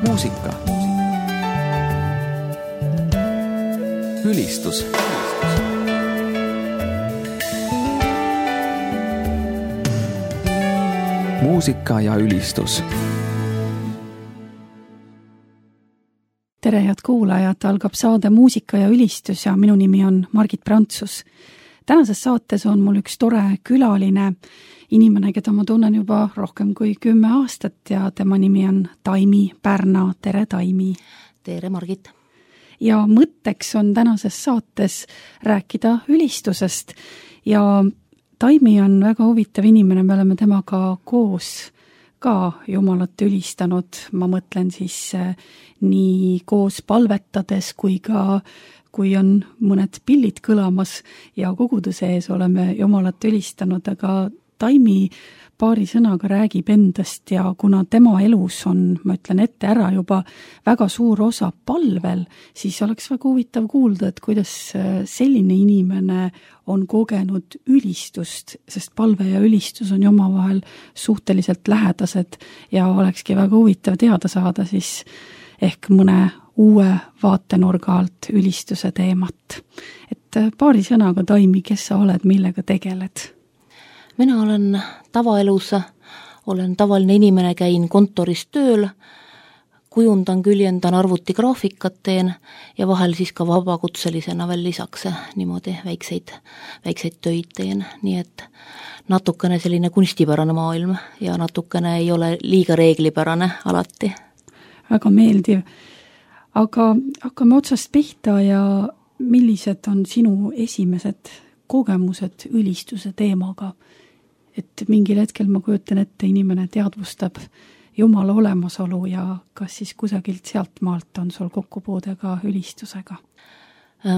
muusika. Ülistus. Muusika ja ülistus. Tere, head kuulajad, algab saade Muusika ja ülistus ja minu nimi on Margit Prantsus. Tänases saates on mul üks tore külaline, inimene, keda ma tunnen juba rohkem kui 10 aastat ja tema nimi on Taimi Pärna. Tere, Taimi! Tere, Margit! Ja mõtteks on tänases saates rääkida ülistusest ja Taimi on väga huvitav inimene, me oleme temaga koos ka Jumalat ülistanud, ma mõtlen siis nii koos palvetades kui on mõned pillid kõlamas ja koguduse ees oleme Jumalat ülistanud, aga Taimi paari sõnaga räägib endast ja kuna tema elus on, ma ütlen ette ära juba, väga suur osa palvel, siis oleks väga huvitav kuulda, et kuidas selline inimene on kogenud ülistust, sest palve ja ülistus on ju omavahel suhteliselt lähedased ja olekski väga huvitav teada saada siis ehk mõne uue vaatenurga alt ülistuse teemat. Et paari sõnaga, Taimi, kes sa oled, millega tegeled? Mina olen tavaelus, olen tavaline inimene, käin kontoris tööl, kujundan, küljendan arvutigraafikat teen ja vahel siis ka vabakutselisena veel lisaks niimoodi väikseid töid teen, nii et natukene selline kunstipärane maailm ja natukene ei ole liiga reeglipärane alati. Väga meeldiv. Aga hakkame otsast pihta ja millised on sinu esimesed kogemused ülistuse teemaga? Et mingil hetkel ma kujutan ette, inimene teadvustab Jumala olemasolu ja kas siis kusagilt sealt maalt on sul kokkupuude ka ülistusega?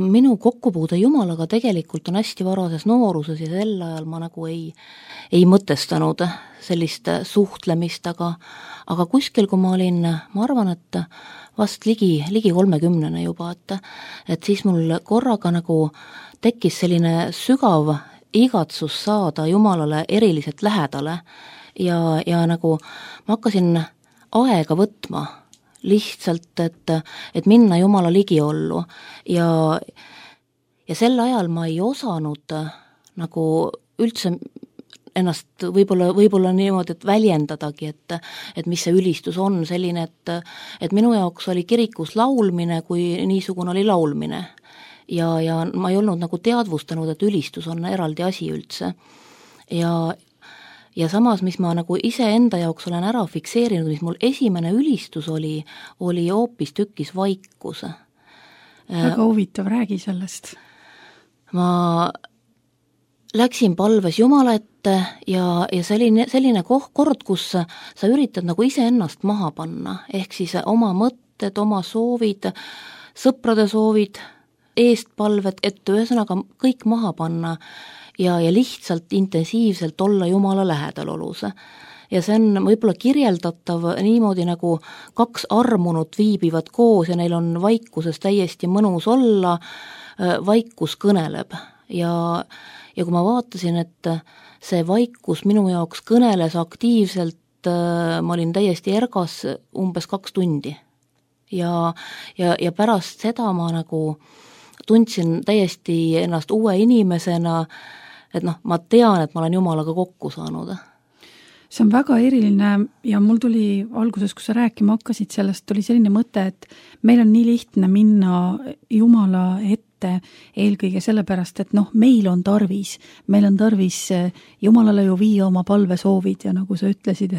Minu kokkupuude Jumalaga tegelikult on hästi varases nooruses ja sel ajal ma nagu ei mõtestanud sellist suhtlemist, aga kuskil, kui ma olin, ma arvan, et vast ligi 30 juba, et siis mul korraga nagu tekkis selline sügav igatsus saada Jumalale eriliselt lähedale ja nagu ma hakkasin aega võtma lihtsalt, et minna Jumala ligiollu ja sel ajal ma ei osanud nagu üldse ennast võib-olla niimoodi, et väljendadagi, et mis see ülistus on selline, et minu jaoks oli kirikus laulmine, kui niisugune oli laulmine. Ja ma ei olnud nagu teadvustanud, et ülistus on eraldi asi üldse. Ja samas, mis ma nagu ise enda jaoks olen ära fikseerinud, mis mul esimene ülistus oli hoopis tükis vaikus. Väga huvitav, räägi sellest. Ma läksin palves Jumala ette ja selline kord, kus sa üritad nagu ise ennast maha panna, ehk siis oma mõtted, oma soovid, sõprade soovid, eestpalved, et ühesõnaga kõik maha panna ja lihtsalt intensiivselt olla Jumala lähedalolus. Ja see on võib-olla kirjeldatav niimoodi, nagu 2 armunut viibivad koos ja neil on vaikuses täiesti mõnus olla, vaikus kõneleb. Ja kui ma vaatasin, et see vaikus minu jaoks kõneles aktiivselt, ma olin täiesti ergas umbes 2 tundi. Ja pärast seda ma nagu tundsin täiesti ennast uue inimesena, et ma tean, et ma olen Jumalaga kokku saanud. See on väga eriline ja mul tuli alguses, kui sa rääkima hakkasid sellest, tuli selline mõte, et meil on nii lihtne minna Jumala ette eelkõige sellepärast, et meil on tarvis Jumalale ju viia oma palvesoovid ja nagu sa ütlesid,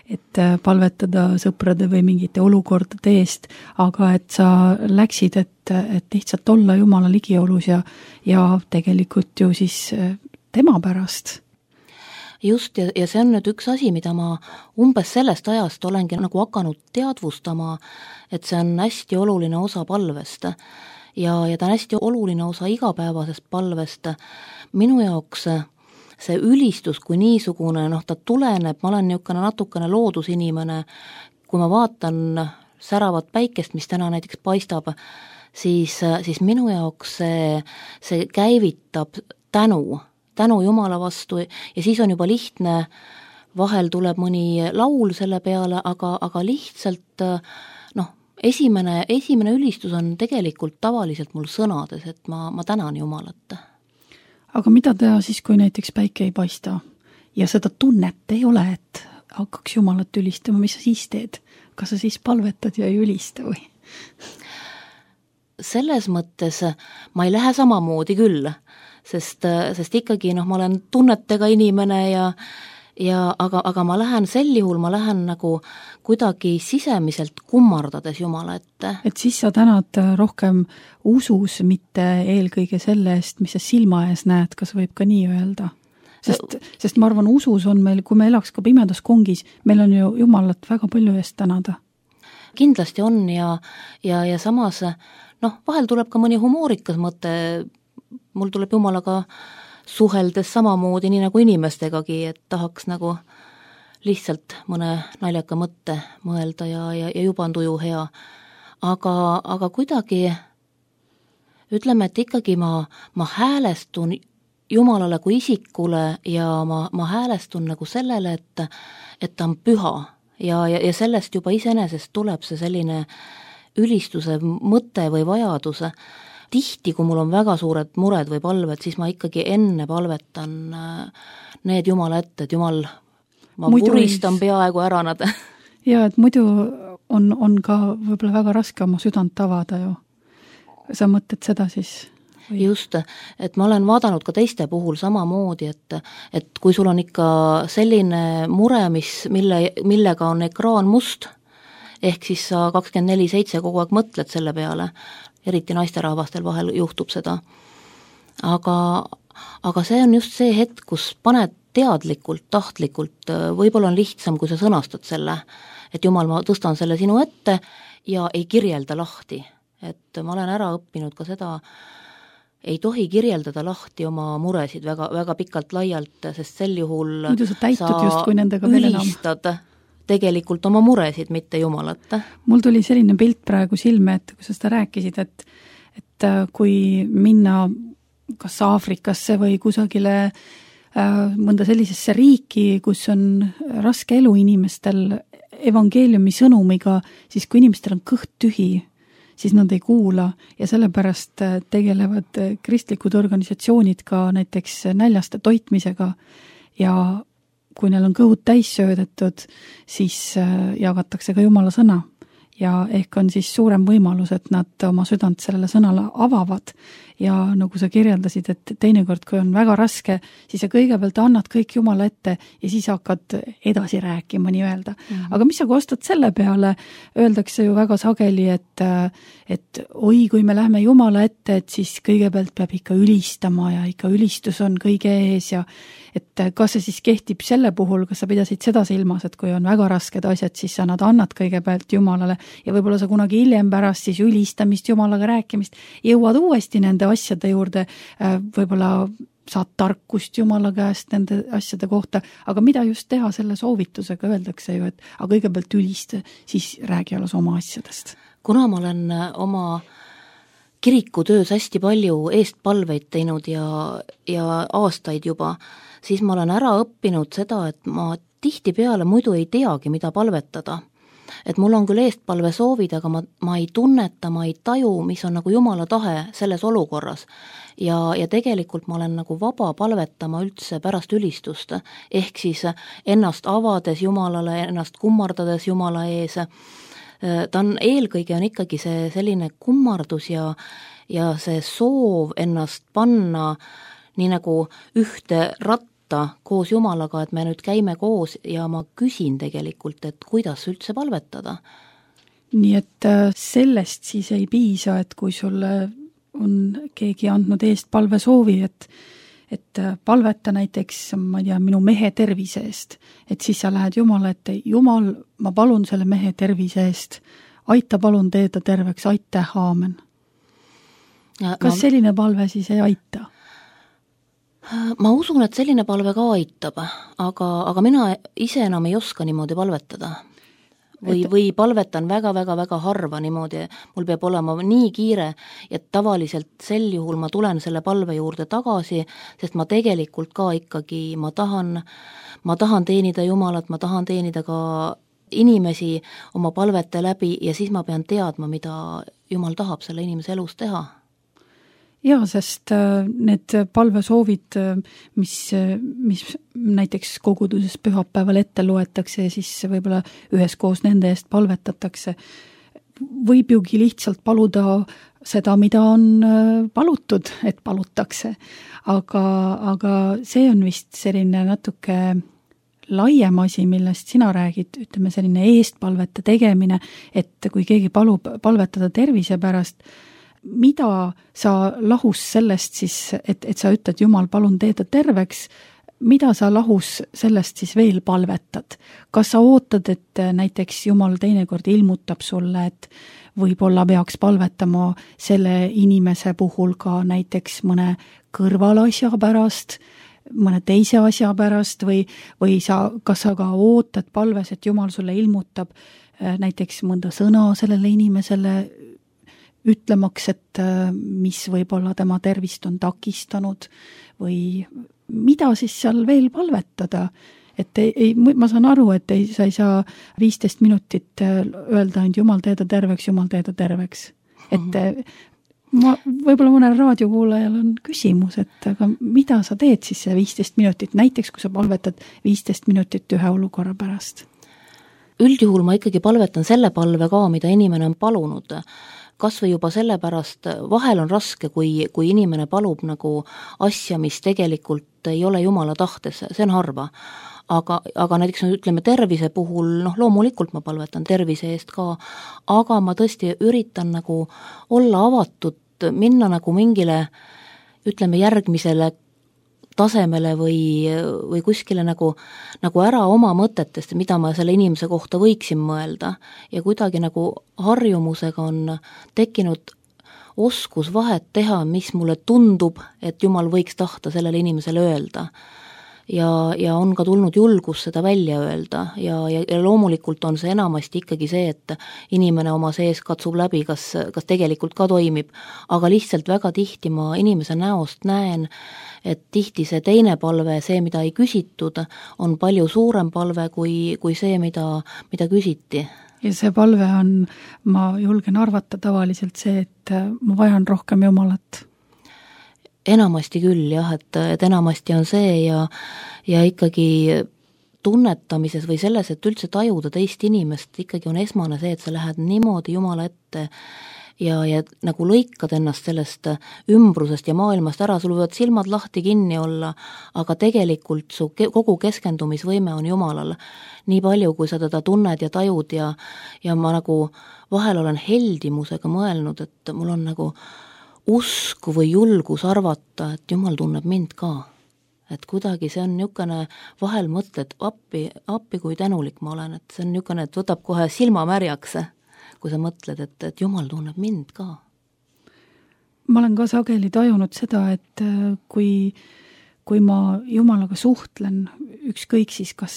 et palvetada sõprade või mingite olukordade eest, aga et sa läksid, et lihtsalt olla Jumala ligiolus ja tegelikult ju siis tema pärast. Just, ja see on nüüd üks asi, mida ma umbes sellest ajast olengi nagu hakanud teadvustama, et see on hästi oluline osa palvest ja ta on hästi oluline osa igapäevasest palvest. Minu jaoks see ülistus kui niisugune, ta tuleneb, ma olen niisugune natukene loodusinimene, kui ma vaatan säravat päikest, mis täna näiteks paistab, siis minu jaoks see käivitab tänu Jumala vastu ja siis on juba lihtne, vahel tuleb mõni laul selle peale, aga lihtsalt esimene ülistus on tegelikult tavaliselt mul sõnades, et ma tänan Jumalat. Aga mida teha siis, kui näiteks päike ei paista ja seda tunnet ei ole, et hakkaks Jumalat ülistama, mis sa siis teed? Kas sa siis palvetad ja ei ülista või? Selles mõttes ma ei lähe samamoodi küll, sest ikkagi ma olen tunnetega inimene aga ma lähen sel juhul, ma lähen nagu kuidagi sisemiselt kummardades Jumala ette. Et siis sa tänad rohkem usus, mitte eelkõige selle eest, mis sa silma ees näed, kas võib ka nii öelda? Sest ma arvan, usus on meil, kui me elaks ka pimedas kongis, meil on ju Jumalat väga palju eest tänada. Kindlasti on ja samas vahel tuleb ka mõni humoorikas mõte, mul tuleb Jumalaga suheldes samamoodi, nii nagu inimestegagi, et tahaks nagu lihtsalt mõne naljaka mõtte mõelda ja juba on tuju hea. Aga kuidagi ütleme, et ikkagi ma häälestun Jumalale kui isikule ja ma häälestun nagu sellele, et ta on püha ja sellest juba iseenesest tuleb see selline ülistuse mõte või vajaduse. Tihti, kui mul on väga suured mured või palved, siis ma ikkagi enne palvetan need Jumala ette, et Jumal, ma puristan peaaegu ära nad. Ja, et muidu on ka võib-olla väga raske oma südant avada ju. Sa mõtled seda siis? Või? Just, et ma olen vaadanud ka teiste puhul samamoodi, et kui sul on ikka selline mure, millega on ekraan must, ehk siis sa 24/7 kogu aeg mõtled selle peale, eriti naisterahvastel vahel juhtub seda. Aga see on just see hetk, kus paned teadlikult, tahtlikult, võib-olla on lihtsam, kui sa sõnastad selle, et Jumal, ma tõstan selle sinu ette ja ei kirjelda lahti. Et ma olen ära õppinud ka seda, ei tohi kirjeldada lahti oma muresid väga, väga pikalt laialt, sest sel juhul muidu sa täitud just, kui nendega veel enam ülistad tegelikult oma muresid, mitte Jumalat. Mul tuli selline pilt praegu silme, et kui sa seda rääkisid, et kui minna kas Aafrikasse või kusagile mõnda sellisesse riiki, kus on raske elu inimestel evangeeliumi sõnumiga, siis kui inimestel on kõht tühi, siis nad ei kuula ja sellepärast tegelevad kristlikud organisatsioonid ka näiteks näljaste toitmisega ja kui neil on kõhud täis söödetud, siis jagatakse ka Jumala sõna ja ehk on siis suurem võimalus, et nad oma südant sellele sõnale avavad ja nagu sa kirjeldasid, et teinekord, kui on väga raske, siis sa kõigepealt annad kõik Jumala ette ja siis hakkad edasi rääkima nii-öelda. Aga mis sa kostad selle peale, öeldakse ju väga sageli, et oi, kui me lähme Jumala ette, et siis kõigepealt peab ikka ülistama ja ikka ülistus on kõige ees ja et kas see siis kehtib selle puhul, kas sa pidasid seda silmas, et kui on väga rasked asjad, siis sa nad annad kõigepealt Jumalale ja võib-olla sa kunagi hiljem pärast siis ülistamist, Jumalaga rääkimist, jõuad uuesti nende asjade juurde, võib-olla saad tarkust Jumala käest nende asjade kohta, aga mida just teha selle soovitusega, öeldakse ju, et aga kõigepealt ülista, siis räägi alles oma asjadest. Kuna ma olen oma kirikutöös hästi palju eestpalveid teinud ja aastaid juba, siis ma olen ära õppinud seda, et ma tihtipeale muidu ei teagi, mida palvetada. Et mul on küll eestpalve soovid, aga ma ei tunneta, ma ei taju, mis on nagu Jumala tahe selles olukorras. Ja tegelikult ma olen nagu vaba palvetama üldse pärast ülistust, ehk siis ennast avades Jumalale, ennast kummardades Jumala ees. Ta on eelkõige on ikkagi see selline kummardus ja see soov ennast panna nii nagu ühte ratta koos Jumalaga, et me nüüd käime koos ja ma küsin tegelikult, et kuidas üldse palvetada. Nii et sellest siis ei piisa, et kui sulle on keegi andnud eest palve soovi, et palveta näiteks, ma ei tea, minu mehe tervise eest, et siis sa lähed Jumala ette, Jumal, ma palun selle mehe tervise eest, aita palun teeda terveks, aitäh, aamen. Kas selline palve siis ei aita? Ma usun, et selline palve ka aitab, aga mina ise enam ei oska niimoodi palvetada. Või palvetan väga harva niimoodi, mul peab olema nii kiire, et tavaliselt sel juhul ma tulen selle palve juurde tagasi, sest ma tegelikult ka ikkagi, ma tahan teenida Jumalat, ma tahan teenida ka inimesi oma palvete läbi ja siis ma pean teadma, mida Jumal tahab selle inimese elus teha. Jaa, sest need palvesoovid, mis näiteks koguduses pühapäeval ette loetakse ja siis võib-olla üheskoos nende eest palvetatakse, võib jugi lihtsalt paluda seda, mida on palutud, et palutakse. Aga see on vist selline natuke laiem asi, millest sina räägid, ütleme selline eestpalvete tegemine, et kui keegi palub palvetada tervise pärast, mida sa lahus sellest siis, et sa ütled, Jumal, palun tee ta terveks, mida sa lahus sellest siis veel palvetad? Kas sa ootad, et näiteks Jumal teinekord ilmutab sulle, et võib-olla peaks palvetama selle inimese puhul ka näiteks mõne kõrvalasja pärast, mõne teise asja pärast või kas sa ka ootad palves, et Jumal sulle ilmutab näiteks mõnda sõna sellele inimesele ütlemaks, et mis võib-olla tema tervist on takistanud või mida siis seal veel palvetada? Et ma saan aru, et sa ei saa 15 minutit öelda ainult Jumal tee ta terveks, Jumal tee ta terveks. Et võib-olla mõnel raadiokuulajal on küsimus, et aga mida sa teed siis see 15 minutit, näiteks kui sa palvetad 15 minutit ühe olukorra pärast? Üldjuhul ma ikkagi palvetan selle palve ka, mida inimene on palunud. Kas või juba sellepärast, vahel on raske, kui inimene palub nagu asja, mis tegelikult ei ole Jumala tahtes, see on harva. Aga näiteks ütleme tervise puhul, loomulikult ma palvetan tervise eest ka, aga ma tõesti üritan nagu olla avatud, minna nagu mingile, ütleme järgmisele tasemele või kuskile nagu ära oma mõtetest, mida ma selle inimese kohta võiksin mõelda ja kuidagi nagu harjumusega on tekkinud oskus vahet teha, mis mulle tundub, et Jumal võiks tahta sellele inimesele öelda. Ja on ka tulnud julgus seda välja öelda ja loomulikult on see enamasti ikkagi see, et inimene oma sees katsub läbi, kas tegelikult ka toimib, aga lihtsalt väga tihti ma inimese näost näen, et tihti see teine palve, see, mida ei küsitud, on palju suurem palve kui see, mida küsiti. Ja see palve on, ma julgen arvata tavaliselt see, et ma vajan rohkem Jumalat. Enamasti küll, jah, et enamasti on see ja ikkagi tunnetamises või selles, et üldse tajuda teist inimest, ikkagi on esmane see, et sa lähed niimoodi Jumala ette ja nagu lõikad ennast sellest ümbrusest ja maailmast ära, sul võivad silmad lahti kinni olla, aga tegelikult su kogu keskendumisvõime on Jumalal. Nii palju, kui sa teda tunned ja tajud ja ma nagu vahel olen heldimusega mõelnud, et mul on nagu usku või julgus arvata, et Jumal tunneb mind ka. Et kuidagi see on niisugune, vahel mõtled, appi kui tänulik ma olen, et see on niisugune, et võtab kohe silma märjaks, kui sa mõtled, et Jumal tunneb mind ka. Ma olen ka sageli tajunud seda, et kui ma Jumalaga suhtlen, ükskõik siis kas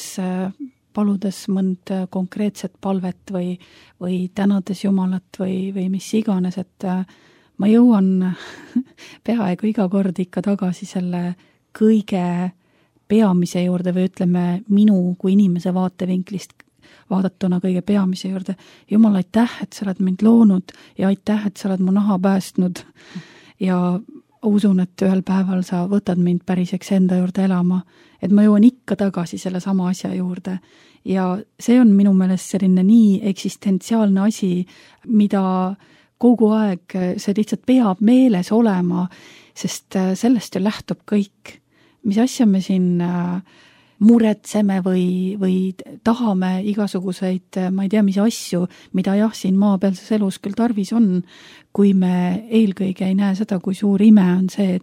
paludes mõnd konkreetset palvet või tänades Jumalat või mis iganes, et ma jõuan peaaegu iga kord ikka tagasi selle kõige peamise juurde või ütleme minu kui inimese vaatevinklist vaadatuna kõige peamise juurde. Jumal, aitäh, et sa oled mind loonud ja aitäh, et sa oled mu naha päästnud ja usun, et ühel päeval sa võtad mind päriseks enda juurde elama, et ma jõuan ikka tagasi selle sama asja juurde. Ja see on minu meelest selline nii eksistentsiaalne asi, mida kogu aeg see lihtsalt peab meeles olema, sest sellest ju lähtub kõik. Mis asja me siin muretseme või tahame igasuguseid, ma ei tea, mis asju, mida jah, siin maapealses elus küll tarvis on, kui me eelkõige ei näe seda, kui suur ime on see,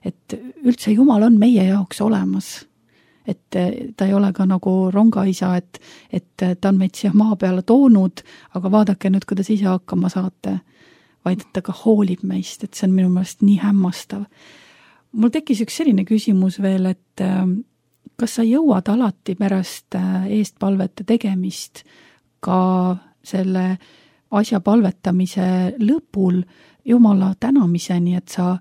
et üldse Jumal on meie jaoks olemas. Et ta ei ole ka nagu rongaisa, et ta on meid siia maa peale toonud, aga vaadake nüüd, kuidas ise hakkama saate, vaid et ta ka hoolib meist, et see on minu meelest nii hämmastav. Mul tekkis üks selline küsimus veel, et kas sa jõuad alati pärast eestpalvete tegemist ka selle asja palvetamise lõpul Jumala tänamiseni, et sa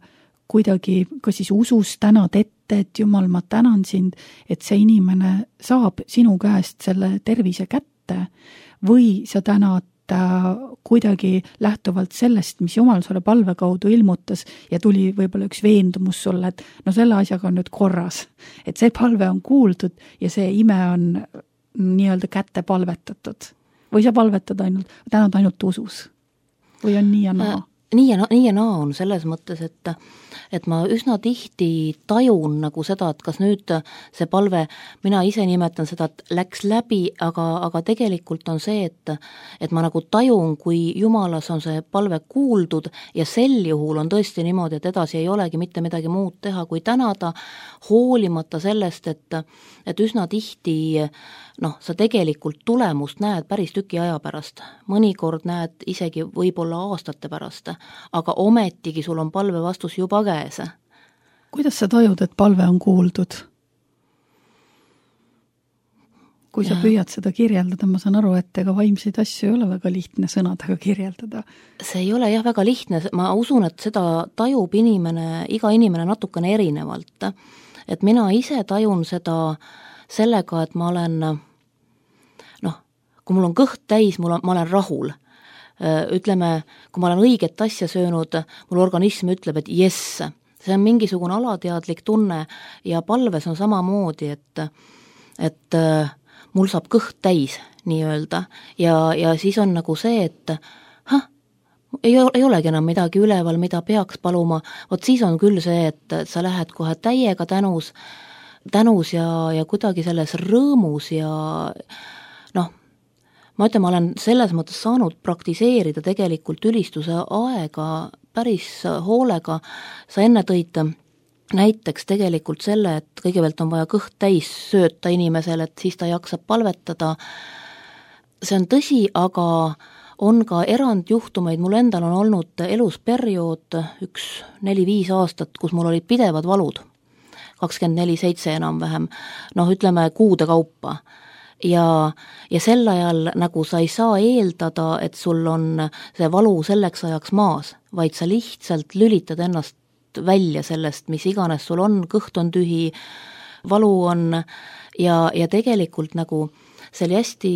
kuidagi, kas siis usus tänad ette ette, et Jumal, ma tänan sind, et see inimene saab sinu käest selle tervise kätte, või sa tänad kuidagi lähtuvalt sellest, mis Jumal sulle palve kaudu ilmutas ja tuli võib-olla üks veendumus sulle, et no selle asjaga on nüüd korras, et see palve on kuuldud ja see ime on nii-öelda kätte palvetatud. Või sa palvetad tänad ainult usus? Või on nii ja naa? Nii ja naa on selles mõttes, et ma üsna tihti tajun nagu seda, et kas nüüd see palve, mina ise nimetan seda, et läks läbi, aga tegelikult on see, et ma nagu tajun, kui Jumalas on see palve kuuldud ja sel juhul on tõesti niimoodi, et edasi ei olegi mitte midagi muud teha, kui tänada, hoolimata sellest, et üsna tihti sa tegelikult tulemust näed päris tüki aja pärast. Mõnikord näed isegi võib-olla aastate pärast, aga ometigi sul on palve vastus juba käes. Kuidas sa tajud, et palve on kuuldud? Kui sa püüad seda kirjeldada, ma saan aru, et ega vaimseid asju ei ole väga lihtne sõnadega kirjeldada. See ei ole jah väga lihtne, ma usun, et seda tajub iga inimene natukene erinevalt. Et mina ise tajun seda sellega, et ma olen, kui mul on kõht täis, ma olen rahul. Ütleme, kui ma olen õiget asja söönud, mul organism ütleb, et jess, see on mingisugune alateadlik tunne ja palves on samamoodi, et mul saab kõht täis nii-öelda ja siis on nagu see, et ei olegi enam midagi üleval, mida peaks paluma, vot siis on küll see, et sa lähed kohe täiega tänus ja kuidagi selles rõõmus ja ma ütlen, ma olen selles mõttes saanud praktiseerida tegelikult ülistuse aega päris hoolega. Sa enne tõid näiteks tegelikult selle, et kõigepealt on vaja kõht täis sööta inimesel, et siis ta jaksab palvetada. See on tõsi, aga on ka erandjuhtumeid, mul endal on olnud elus periood 4-5 aastat, kus mul olid pidevad valud. 24/7 enam-vähem, ütleme kuude kaupa. Ja sel ajal nagu sa ei saa eeldada, et sul on see valu selleks ajaks maas, vaid sa lihtsalt lülitad ennast välja sellest, mis iganes sul on, kõht on tühi, valu on ja tegelikult nagu see oli hästi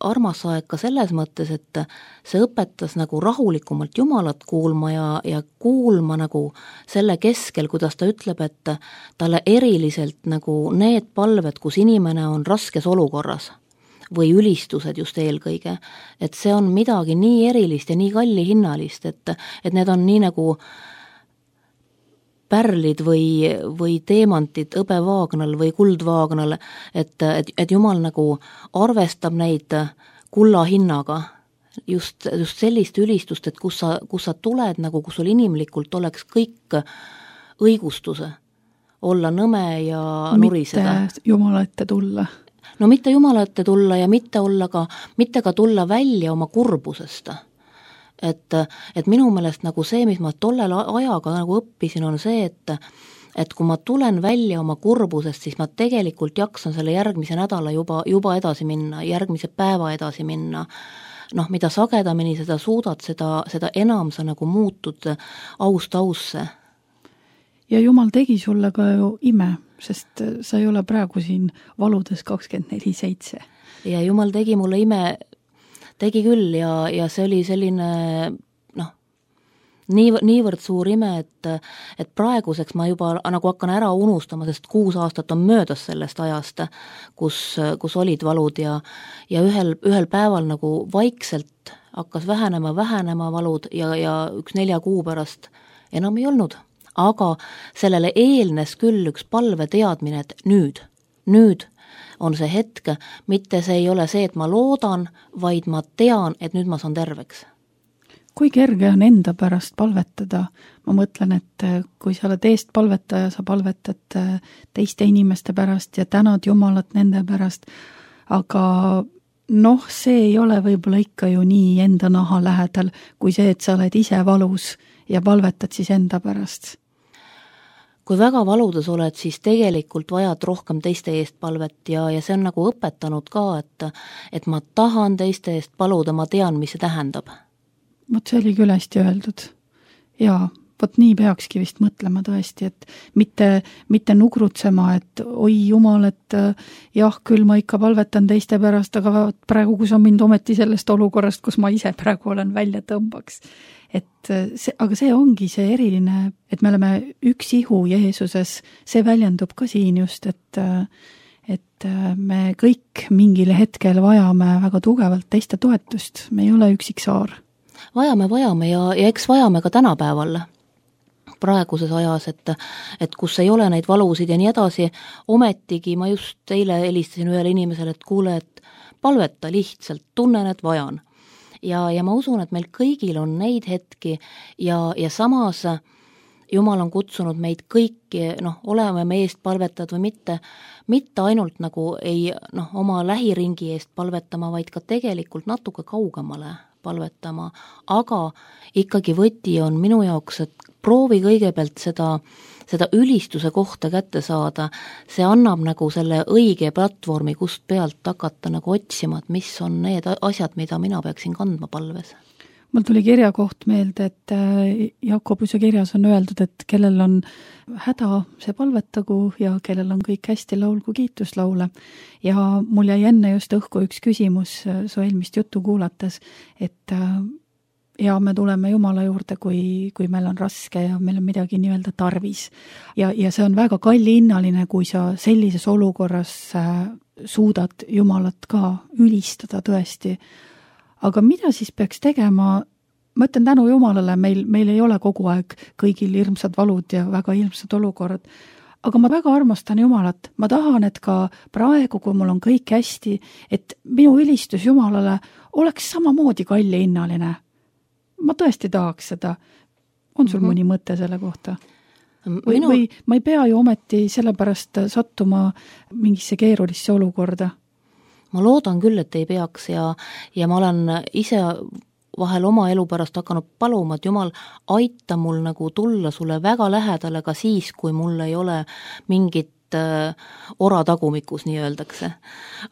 armas aeg ka selles mõttes, et see õpetas nagu rahulikumalt Jumalat kuulma ja kuulma nagu selle keskel, kuidas ta ütleb, et talle eriliselt nagu need palved, kus inimene on raskes olukorras või ülistused just eelkõige, et see on midagi nii erilist ja nii kallihinnalist, et need on nii nagu pärlid või teemantid hõbevaagnal või kuldvaagnal, et Jumal nagu arvestab neid kulla hinnaga, just sellist ülistust, et kus sa tuled nagu, kus sul inimlikult oleks kõik õigustuse, olla nõme ja nuriseda. Mitte Jumala ette tulla. No mitte Jumala ette tulla ja mitte ka tulla välja oma kurbusest. Et minu meelest nagu see, mis ma tollel ajaga nagu õppisin, on see, et kui ma tulen välja oma kurbusest, siis ma tegelikult jaksan selle järgmise nädala juba edasi minna, järgmise päeva edasi minna. Mida sagedamini seda suudad, seda enam sa nagu muutud aust ausse. Ja Jumal tegi sulle ka ju ime, sest sa ei ole praegu siin valudes 24/7. Ja Jumal tegi mulle ime, tegi küll ja see oli selline niivõrd suur ime, et praeguseks ma juba nagu hakkan ära unustama, sest 6 aastat on möödas sellest ajast, kus olid valud ja ühel päeval nagu vaikselt hakkas vähenema valud ja 1-4 kuu pärast enam ei olnud. Aga sellele eelnes küll üks palve teadmine, et nüüd on see hetk, mitte see ei ole see, et ma loodan, vaid ma tean, et nüüd ma saan terveks. Kui kerge on enda pärast palvetada? Ma mõtlen, et kui sa oled eest palvetaja, sa palvetad teiste inimeste pärast ja tänad Jumalat nende pärast, aga see ei ole võib-olla ikka ju nii enda naha lähedal, kui see, et sa oled ise valus ja palvetad siis enda pärast. Kui väga valudes oled, siis tegelikult vajad rohkem teiste eest palvet ja see on nagu õpetanud ka, et ma tahan teiste eest paluda, ma tean, mis see tähendab. Vot see oli küll hästi öeldud. Jaa, vot nii peakski vist mõtlema tõesti, et mitte nugrutsema, et oi jumal, et jah, küll ma ikka palvetan teiste pärast, aga praegu, kui sa mind ometi sellest olukorrast, kus ma ise praegu olen, välja tõmbaks. Aga see ongi see eriline, et me oleme üks ihu Jeesuses, see väljendub ka siin just, et me kõik mingil hetkel vajame väga tugevalt teiste toetust, me ei ole üksik saar. Vajame ja eks vajame ka tänapäeval praeguses ajas, et kus ei ole neid valusid ja nii edasi, ometigi ma just eile helistasin ühele inimesele, et kuule, et palveta lihtsalt, tunnen, et vajan. Ja ma usun, et meil kõigil on neid hetki ja samas Jumal on kutsunud meid kõiki, oleme me eest palvetad või mitte ainult nagu oma lähiringi eest palvetama, vaid ka tegelikult natuke kaugemale palvetama, aga ikkagi võti on minu jaoks, et proovi kõigepealt seda ülistuse kohta kätte saada, see annab nagu selle õige platvormi, kust pealt hakata nagu otsima, et mis on need asjad, mida mina peaksin kandma palves. Mul tuli kirjakoht meelde, et Jakobuse kirjas on öeldud, et kellel on häda, see palvetagu ja kellel on kõik hästi, laulgu kiituslaule. Ja mul jäi enne just õhku üks küsimus su eelmist juttu kuulates, et ja me tuleme Jumala juurde, kui meil on raske ja meil on midagi nii-öelda tarvis. Ja see on väga kallihinnaline, kui sa sellises olukorras suudad Jumalat ka ülistada tõesti. Aga mida siis peaks tegema? Ma ütlen tänu Jumalale, meil ei ole kogu aeg kõigil hirmsad valud ja väga hirmsad olukorrad. Aga ma väga armastan Jumalat. Ma tahan, et ka praegu, kui mul on kõik hästi, et minu ülistus Jumalale oleks samamoodi kallihinnaline. Ma tõesti tahaks seda. On sul mõni mõte selle kohta? Või ma ei pea ju ometi sellepärast sattuma mingisse keerulisse olukorda? Ma loodan küll, et ei peaks ja ma olen ise vahel oma elu pärast hakanud paluma, et Jumal, aita mul nagu tulla sulle väga lähedale ka siis, kui mul ei ole mingit ora tagumikus, nii öeldakse.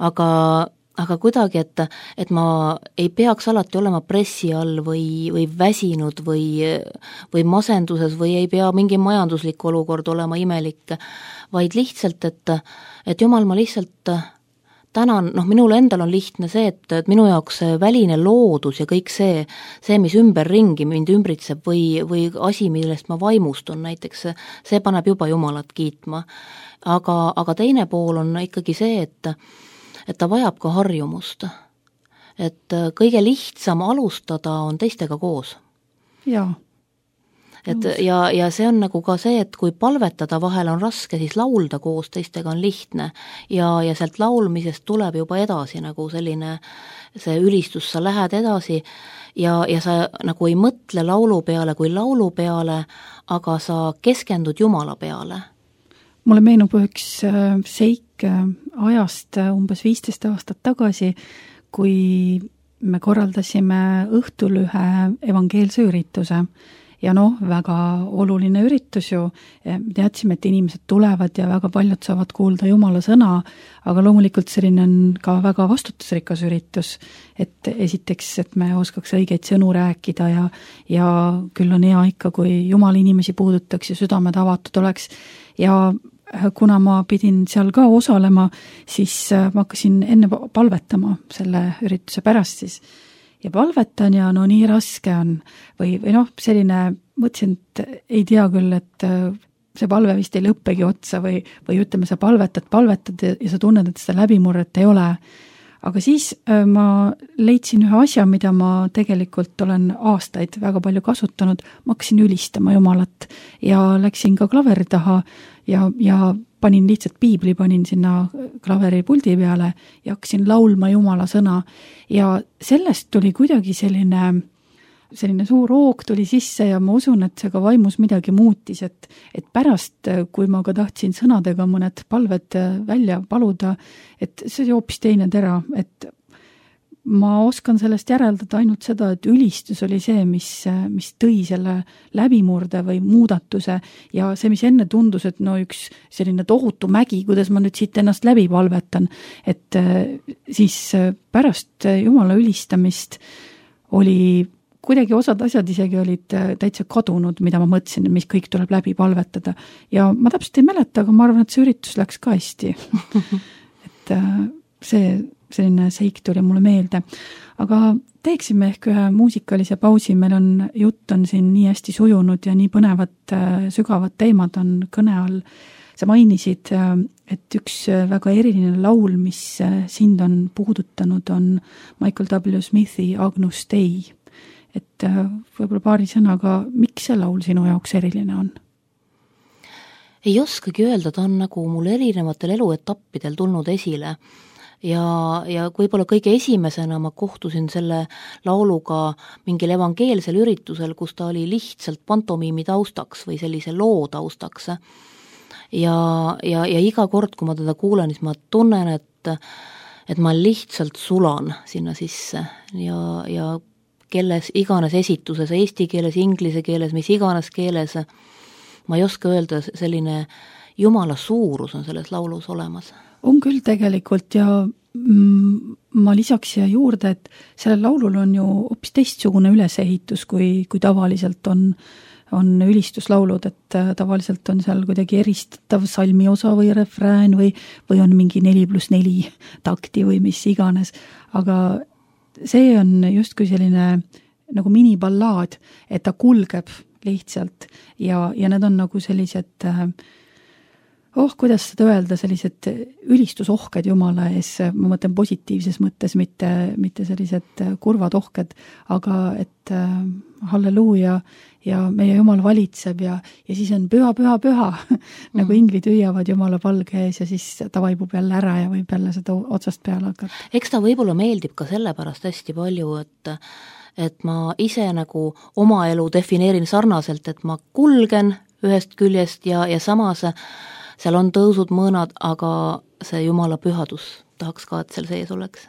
Aga kuidagi, et ma ei peaks alati olema pressi all või väsinud või masenduses või ei pea mingi majanduslik olukord olema imelik, vaid lihtsalt, et Jumal, ma lihtsalt tänan, minul endal on lihtne see, et minu jaoks väline loodus ja kõik see, mis ümberringi mind ümbritseb või asi, millest ma vaimustun näiteks, see paneb juba Jumalat kiitma. Aga teine pool on ikkagi see, et ta vajab ka harjumust. Et kõige lihtsam alustada on teistega koos. Jaa. Ja see on nagu ka see, et kui palvetada vahel on raske, siis laulda koos teistega on lihtne ja sealt laulmisest tuleb juba edasi nagu selline see ülistus, sa lähed edasi ja sa nagu ei mõtle laulu peale kui laulu peale, aga sa keskendud Jumala peale. Mulle meenub üks seik ajast umbes 15 aastat tagasi, kui me korraldasime õhtul ühe evangeelse ürituse. Ja väga oluline üritus ju, teadsime, et inimesed tulevad ja väga paljud saavad kuulda Jumala sõna, aga loomulikult selline on ka väga vastutusrikas üritus, et esiteks, et me oskaks õigeid sõnu rääkida ja küll on hea ikka, kui Jumala inimesi puudutaks ja südamed avatud oleks ja kuna ma pidin seal ka osalema, siis ma hakkasin enne palvetama selle ürituse pärast siis. Ja palvetan ja nii raske on või selline, mõtlesin, et ei tea küll, et see palve vist ei lõppegi otsa või ütleme, sa palvetad ja sa tunned, et seda läbimurret ei ole. Aga siis ma leidsin ühe asja, mida ma tegelikult olen aastaid väga palju kasutanud, ma hakkasin ülistama Jumalat ja läksin ka klaveri taha ja panin lihtsalt piibli, panin sinna klaveri puldi peale ja hakkasin laulma Jumala sõna ja sellest tuli kuidagi selline suur hoog tuli sisse ja ma usun, et see ka vaimus midagi muutis, et pärast, kui ma ka tahtsin sõnadega mõned palved välja paluda, et see hoopis teine tera, et ma oskan sellest järeldada ainult seda, et ülistus oli see, mis tõi selle läbimurde või muudatuse ja see, mis enne tundus, et üks selline tohutu mägi, kuidas ma nüüd siit ennast läbi palvetan, et siis pärast Jumala ülistamist oli kuidagi osad asjad isegi olid täitsa kadunud, mida ma mõtlesin, mis kõik tuleb läbi palvetada. Ja ma täpselt ei mäleta, aga ma arvan, et see üritus läks ka hästi. Et selline seik tuli mulle meelde. Aga teeksime ehk ühe muusikalise pausi, meil on jutt on siin nii hästi sujunud ja nii põnevad, sügavad teemad on kõne all. Sa mainisid, et üks väga eriline laul, mis sind on puudutanud, on Michael W. Smithi Agnus Dei. Et võib-olla paari sõnaga, miks see laul sinu jaoks eriline on? Ei oskagi öelda, ta on nagu mul erinevatel eluetappidel tulnud esile. Ja võib-olla kõige esimesena ma kohtusin selle lauluga mingil evangeelsel üritusel, kus ta oli lihtsalt pantomiimi taustaks või sellise loo taustaks. Ja iga kord, kui ma teda kuulen, siis ma tunnen, et ma lihtsalt sulan sinna sisse ja kelles iganes esituses, eesti keeles, inglise keeles, mis iganes keeles, ma ei oska öelda, selline Jumala suurus on selles laulus olemas. On küll tegelikult ja ma lisaks siia juurde, et sellel laulul on ju hoopis teistsugune ülesehitus, kui tavaliselt on ülistuslaulud, et tavaliselt on seal kuidagi eristatav salmi osa või refrään või on mingi 4+4 takti või mis iganes, aga see on justkui selline nagu miniballaad, et ta kulgeb lihtsalt ja need on nagu sellised kuidas seda öelda, sellised ülistusohked Jumala ees, ma mõtlen positiivses mõttes, mitte sellised kurvad ohked, aga et halleluuja ja meie Jumal valitseb ja siis on püha, nagu inglid hüüavad Jumala palge ees ja siis ta vaibub jälle ära ja võib jälle seda otsast peale hakata. Eks ta võib-olla meeldib ka sellepärast hästi palju, et ma ise nagu oma elu defineerin sarnaselt, et ma kulgen ühest küljest ja samas seal on tõusud mõõnad, aga see Jumala pühadus tahaks ka, et seal sees oleks.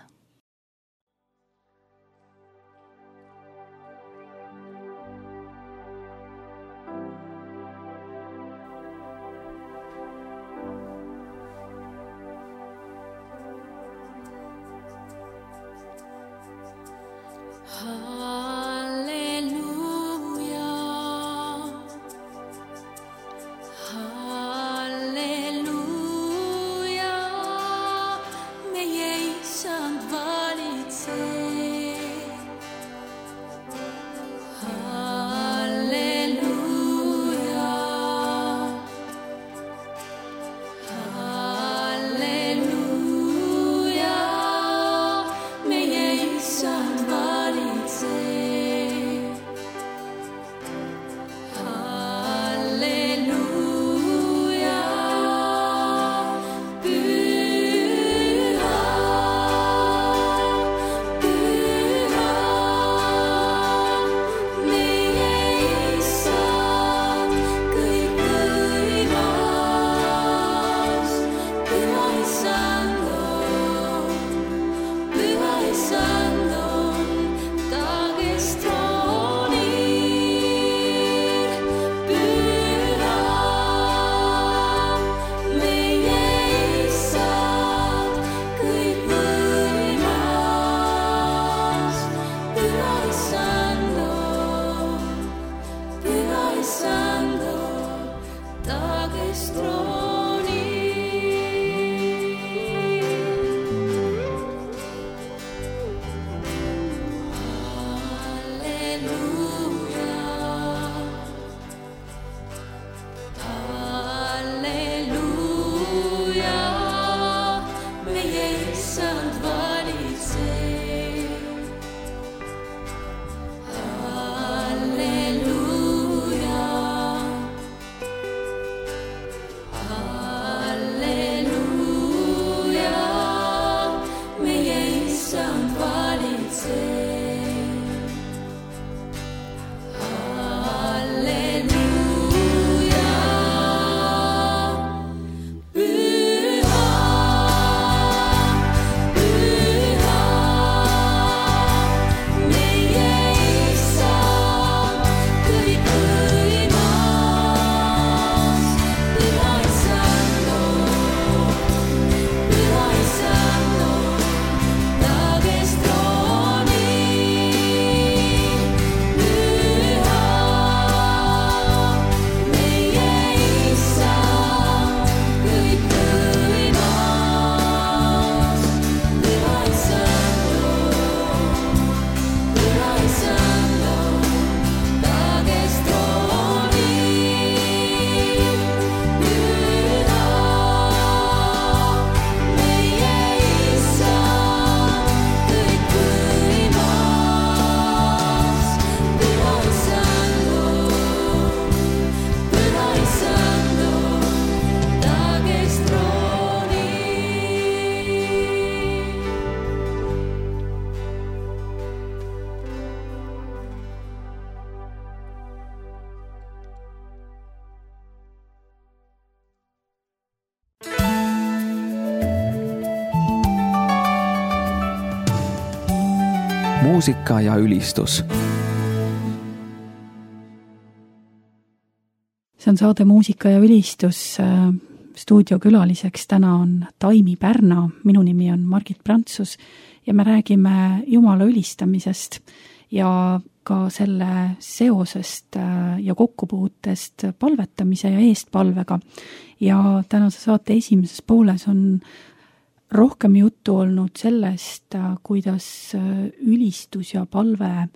muusika ja ülistus. See on saade Muusika ja ülistus. Stuudiokülaliseks täna on Taimi Pärna, minu nimi on Margit Prantsus ja me räägime Jumala ülistamisest ja ka selle seosest ja kokkupuutest palvetamise ja eestpalvega. Ja tänase saate esimeses pooles on rohkem juttu olnud sellest, kuidas ülistus ja palve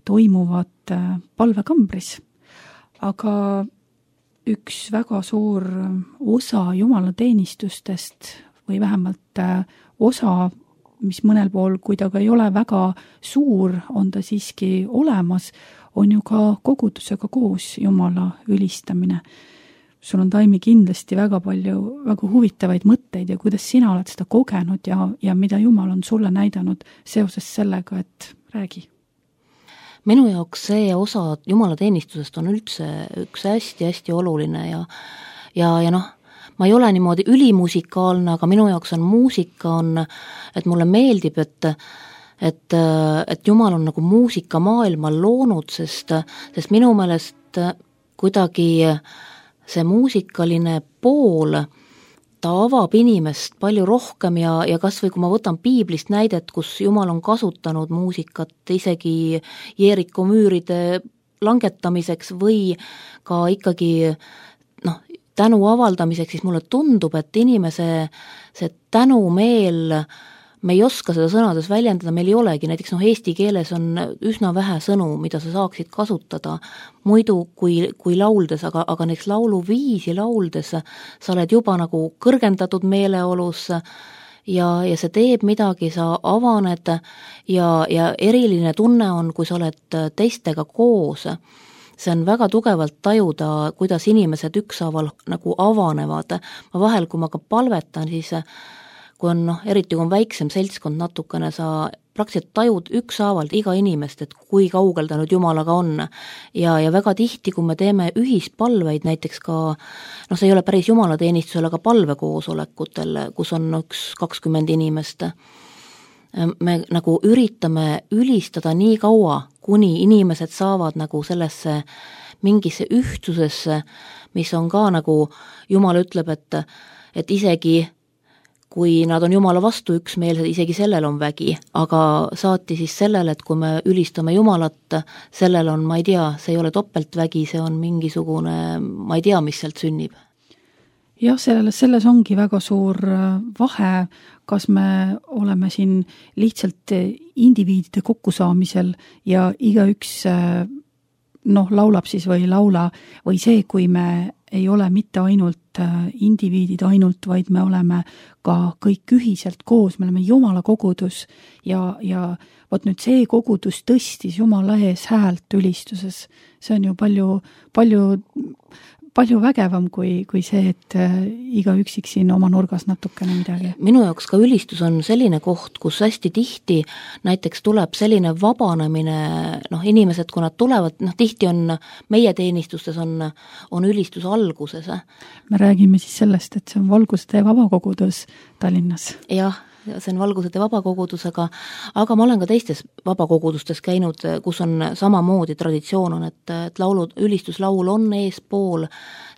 toimuvad palvekambris. Aga üks väga suur osa jumalateenistustest või vähemalt osa, mis mõnel pool, kui ta ka ei ole väga suur, on ta siiski olemas, on ju ka kogudusega koos Jumala ülistamine. Sul on, Taimi, kindlasti väga palju väga huvitavaid mõtteid ja kuidas sina oled seda kogenud ja mida Jumal on sulle näidanud seoses sellega, et räägi. Minu jaoks see osa jumalateenistusest on üldse üks hästi-hästi oluline ja noh, ma ei ole niimoodi ülimusikaalne, aga minu jaoks on muusika, et mulle meeldib, et Jumal on nagu muusikamaailma loonud, sest minu meelest kuidagi see muusikaline pool, ta avab inimest palju rohkem ja kas või kui ma võtan piiblist näidet, kus Jumal on kasutanud muusikat isegi Jeeriko müüride langetamiseks või ka ikkagi tänu avaldamiseks, siis mulle tundub, et inimese see tänumeel, me ei oska seda sõnades väljendada, meil ei olegi, näiteks eesti keeles on üsna vähe sõnu, mida sa saaksid kasutada muidu kui lauldes, aga näiteks lauluviisi lauldes sa oled juba nagu kõrgendatud meeleolus ja see teeb midagi, sa avaned ja eriline tunne on, kui sa oled teistega koos. See on väga tugevalt tajuda, kuidas inimesed ükshaaval nagu avanevad. Ma vahel, kui ma ka palvetan, siis kui on, eriti kui on väiksem seltskond natukene, sa praktiliselt tajud ükshaaval iga inimest, et kui kaugel ta nüüd Jumalaga on. Ja väga tihti, kui me teeme ühispalveid, näiteks ka, see ei ole päris jumalateenistusel, aga palvekoosolekutel, kus on 20 inimest, me nagu üritame ülistada nii kaua, kuni inimesed saavad nagu sellesse mingisse ühtsusesse, mis on ka nagu, Jumal ütleb, et isegi kui nad on Jumala vastu üksmeelsed, isegi sellel on vägi, aga saati siis sellele, et kui me ülistame Jumalat, sellel on, ma ei tea, see ei ole topeltvägi, see on mingisugune, ma ei tea, mis sealt sünnib. Jah, selles ongi väga suur vahe, kas me oleme siin lihtsalt indiviidide kokkusaamisel ja igaüks laulab siis või ei laula, või see, kui me ei ole mitte ainult indiviidid ainult, vaid me oleme ka kõik ühiselt koos, me oleme Jumala kogudus ja vot nüüd see kogudus tõstis Jumala ees häält ülistuses. See on ju palju vägevam kui see, et iga üksik siin oma nurgas natukene midagi. Minu jaoks ka ülistus on selline koht, kus hästi tihti näiteks tuleb selline vabanemine, inimesed, kui nad tulevad, tihti on meie teenistustes on ülistus alguses. Me räägime siis sellest, et see on Valgusete vabakogudus Tallinnas. Jah, see on Valgusete vabakogudus, aga ma olen ka teistes vabakogudustes käinud, kus on samamoodi traditsioon on, et ülistuslaul on eespool,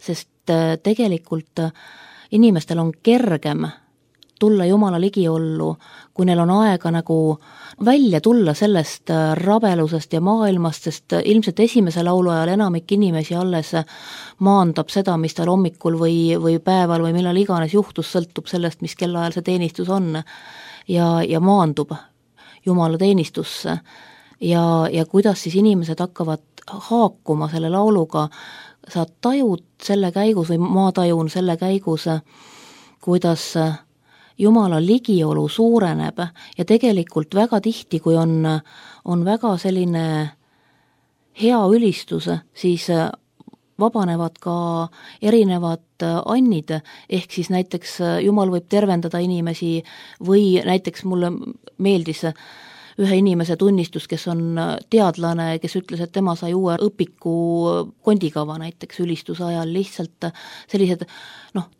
sest tegelikult inimestel on kergem tulla Jumala ligiollu, kui neil on aega nagu välja tulla sellest rabelusest ja maailmast, sest ilmselt esimese laulu ajal enamik inimesi alles maandab seda, mis tal hommikul või päeval või millal iganes juhtus, sõltub sellest, mis kellaajal see teenistus on ja maandub Jumala teenistusse ja kuidas siis inimesed hakkavad haakuma selle lauluga, sa tajud selle käigus või ma tajun selle käigus, kuidas Jumala ligiolu suureneb ja tegelikult väga tihti, kui on väga selline hea ülistus, siis vabanevad ka erinevad annid, ehk siis näiteks Jumal võib tervendada inimesi või näiteks mulle meeldis ühe inimese tunnistus, kes on teadlane, kes ütles, et tema sai uue õpiku kondikava näiteks ülistuse ajal, lihtsalt sellised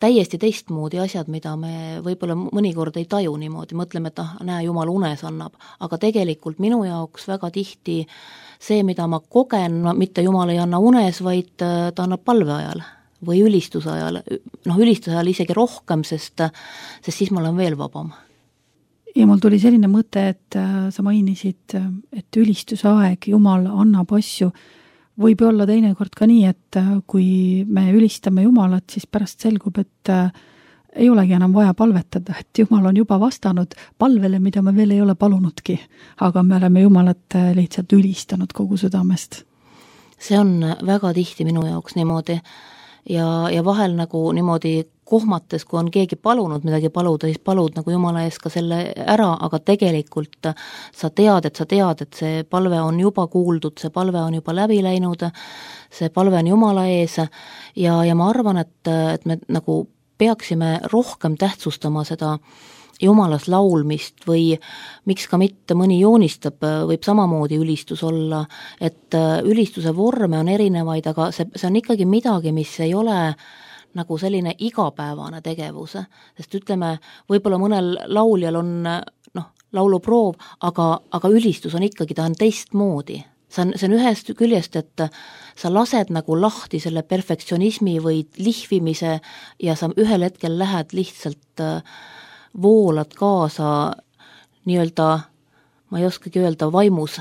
täiesti teistmoodi asjad, mida me võib-olla mõnikord ei taju niimoodi, mõtleme, et näe, Jumal unes annab, aga tegelikult minu jaoks väga tihti see, mida ma kogen, mitte Jumal ei anna unes, vaid ta annab palve ajal või ülistuse ajal, ülistuse ajal isegi rohkem, sest siis ma olen veel vabam. Ja mul tuli selline mõte, et sa mainisid, et ülistuse aeg, Jumal annab asju, võib olla teinekord ka nii, et kui me ülistame Jumalat, siis pärast selgub, et ei olegi enam vaja palvetada, et Jumal on juba vastanud palvele, mida me veel ei ole palunudki, aga me oleme Jumalat lihtsalt ülistanud kogu südamest. See on väga tihti minu jaoks niimoodi ja vahel nagu niimoodi kohmates, kui on keegi palunud midagi paluda, siis palud nagu Jumala ees ka selle ära, aga tegelikult sa tead, et see palve on juba kuuldud, see palve on juba läbi läinud, see palve on Jumala ees ja ma arvan, et me nagu peaksime rohkem tähtsustama seda Jumalas laulmist või miks ka mitte mõni joonistab, võib samamoodi ülistus olla, et ülistuse vorme on erinevaid, aga see on ikkagi midagi, mis ei ole nagu selline igapäevane tegevus, sest ütleme, võib-olla mõnel lauljal on lauluproov, aga ülistus on ikkagi, ta on teistmoodi. See on ühest küljest, et sa lased nagu lahti selle perfektsionismi või lihvimise ja sa ühel hetkel lähed lihtsalt voolad kaasa nii-öelda, ma ei oskagi öelda, vaimus.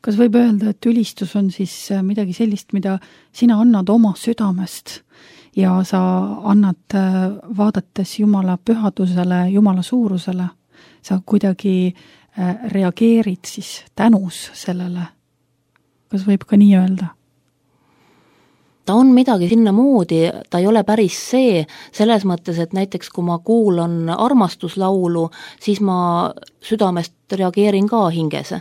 Kas võib öelda, et ülistus on siis midagi sellist, mida sina annad oma südamest ja sa annad vaadates Jumala pühadusele, Jumala suurusele, sa kuidagi reageerid siis tänus sellele? Kas võib ka nii öelda? Ta on midagi sinna moodi, ta ei ole päris see, selles mõttes, et näiteks kui ma kuulan armastuslaulu, siis ma südamest reageerin ka hinges.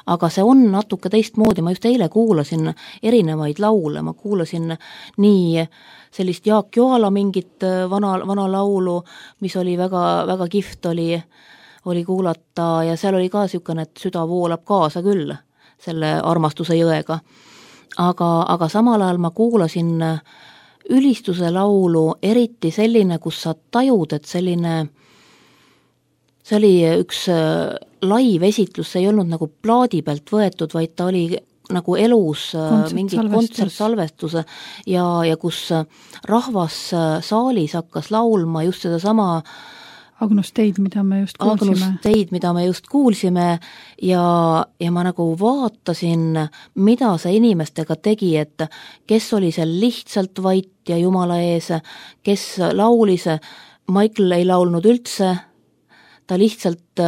Aga see on natuke teistmoodi, ma just eile kuulasin erinevaid laule, ma kuulasin nii sellist Jaak Joala mingit vana laulu, mis oli väga, väga kihvt oli kuulata ja seal oli ka niisugune, et süda voolab kaasa küll selle armastuse jõega. Aga samal ajal ma kuulasin ülistuse laulu, eriti selline, kus sa tajud, et see oli üks live esitlus, see ei olnud nagu plaadi pealt võetud, vaid ta oli nagu elus mingi kontsertsalvestus ja kus rahvas saalis hakkas laulma just seda sama Agnus Teid, mida me just kuulsime ja ma nagu vaatasin, mida see inimestega tegi, et kes oli seal lihtsalt vait ja Jumala ees, kes laulis, Michael ei laulnud üldse, ta lihtsalt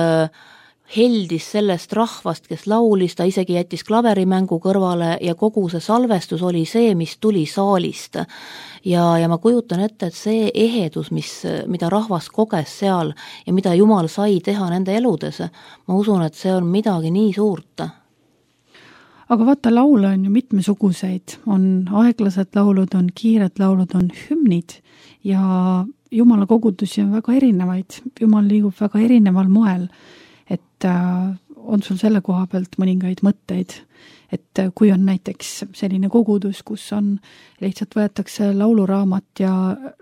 heldis sellest rahvast, kes laulis, ta isegi jättis klaverimängu kõrvale ja kogu see salvestus oli see, mis tuli saalist. Ja ma kujutan ette, et see ehedus, mida rahvas koges seal ja mida Jumal sai teha nende eludes, ma usun, et see on midagi nii suurt. Aga vaata, laule on ju mitmesuguseid, on aeglased laulud, on kiired laulud, on hümnid ja Jumala kogudusi on väga erinevaid, Jumal liigub väga erineval moel, et on sul selle koha pealt mõningaid mõtteid, et kui on näiteks selline kogudus, kus on lihtsalt võetakse lauluraamat ja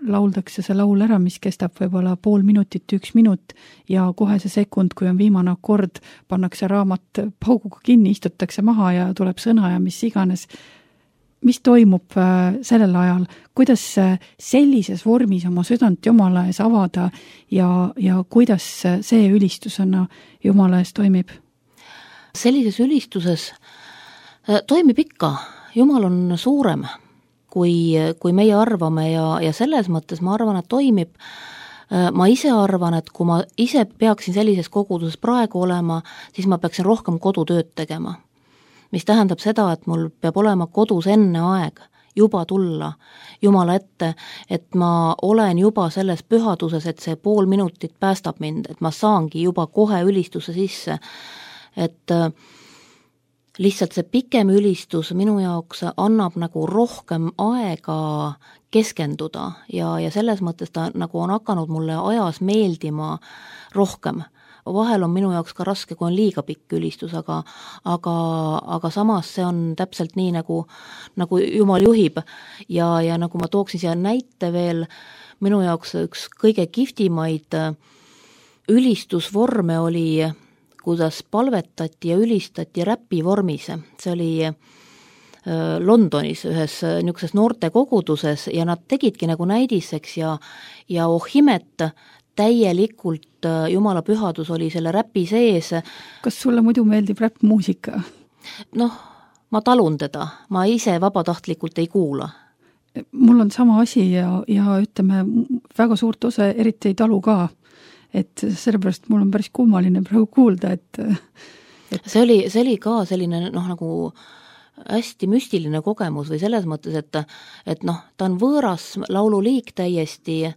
lauldakse see laul ära, mis kestab võib-olla pool minutit, 1 minut ja kohe see sekund, kui on viimane akord, pannakse raamat pauguga kinni, istutakse maha ja tuleb sõna ja mis iganes. Mis toimub sellel ajal, kuidas sellises vormis oma südant Jumala ees avada ja kuidas see ülistusena Jumala ees toimib? Sellises ülistuses toimib ikka, Jumal on suurem, kui meie arvame ja selles mõttes ma arvan, et toimib. Ma ise arvan, et kui ma ise peaksin sellises koguduses praegu olema, siis ma peaksin rohkem kodutööd tegema. Mis tähendab seda, et mul peab olema kodus enne aeg juba tulla Jumala ette, et ma olen juba selles pühaduses, et see pool minutit päästab mind, et ma saangi juba kohe ülistuse sisse, et lihtsalt see pikem ülistus minu jaoks annab nagu rohkem aega keskenduda ja selles mõttes ta nagu on hakanud mulle ajas meeldima rohkem. vahel on minu jaoks ka raske, kui on liiga pikk ülistus, aga samas see on täpselt nii, nagu Jumal juhib ja nagu ma tooksin siia näite veel, minu jaoks üks kõige kihvtimaid ülistusvorme oli, kuidas palvetati ja ülistati räpi vormis. See oli Londonis ühes niisuguses noorte koguduses ja nad tegidki nagu näidiseks ja imet, täielikult Jumala pühadus oli selle räpi sees. Kas sulle muidu meeldib räppmuusika? Ma talun teda, ma ise vabatahtlikult ei kuula. Mul on sama asi ja ütleme, väga suurt osa eriti ei talu ka. Et sellepärast mul on päris kummaline praegu kuulda, et... See oli ka selline nagu hästi müstiline kogemus või selles mõttes, et ta on võõras laululiik täiesti ja...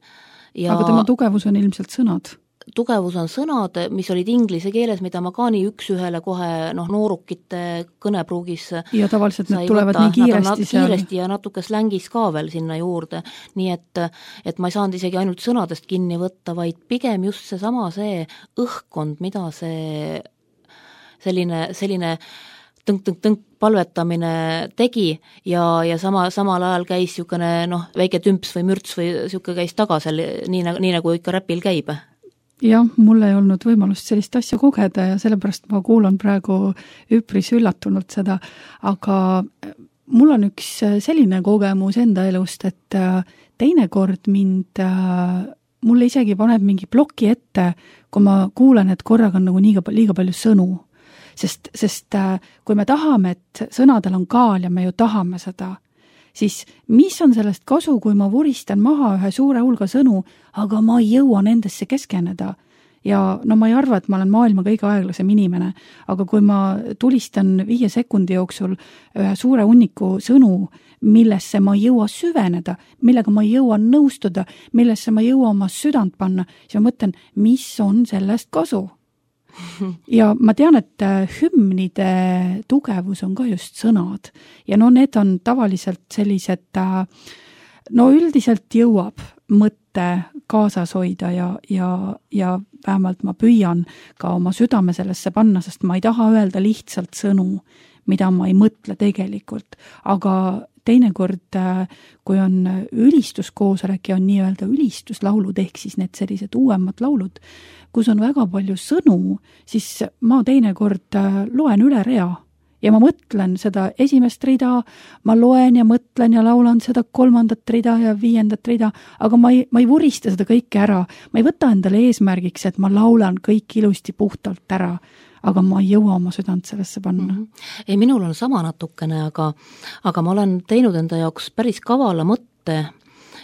Aga tema tugevus on ilmselt sõnad. Tugevus on sõnad, mis olid inglise keeles, mida ma ka nii üks-ühele kohe noorukite kõnepruugis ja tavaliselt need tulevad nii kiiresti ja natuke slängis ka veel sinna juurde, nii et ma ei saanud isegi ainult sõnadest kinni võtta, vaid pigem just see õhkkond, mida see selline tõnk palvetamine tegi ja samal ajal käis niisugune väike tümps või mürts või niisugune käis taga seal, nii nagu ikka räpil käib. Jah, mul ei olnud võimalust sellist asja kogeda ja sellepärast ma kuulan praegu üpris üllatunult seda, aga mul on üks selline kogemus enda elust, et teinekord mulle isegi paneb mingi ploki ette, kui ma kuulen, et korraga on nagu liiga palju sõnu. Sest kui me tahame, et sõnadel on kaal ja me ju tahame seda, siis mis on sellest kasu, kui ma vuristan maha ühe suure hulga sõnu, aga ma ei jõua nendesse keskeneda. Ja ma ei arva, et ma olen maailma kõige aeglasem inimene, aga kui ma tulistan 5 sekundi jooksul ühe suure hunniku sõnu, millesse ma ei jõua süveneda, millega ma ei jõua nõustuda, millesse ma ei jõua oma südant panna, siis ma mõtlen, mis on sellest kasu? Ja ma tean, et hümnide tugevus on ka just sõnad ja need on tavaliselt sellised, üldiselt jõuab mõtte kaasas hoida ja vähemalt ma püüan ka oma südame sellesse panna, sest ma ei taha öelda lihtsalt sõnu, mida ma ei mõtle tegelikult, aga teinekord, kui on ülistuskoosolek ja on nii-öelda ülistuslaulud, ehk siis need sellised uuemad laulud, kus on väga palju sõnu, siis ma teinekord loen üle rea ja ma mõtlen seda esimest rida, ma loen ja mõtlen ja laulan seda 3. rida ja 5. rida, aga ma ei vurista seda kõike ära, ma ei võta endale eesmärgiks, et ma laulan kõik ilusti puhtalt ära, aga ma ei jõua oma südant sellesse panna. Ei, minul on sama natukene, aga ma olen teinud enda jaoks päris kavala mõtte,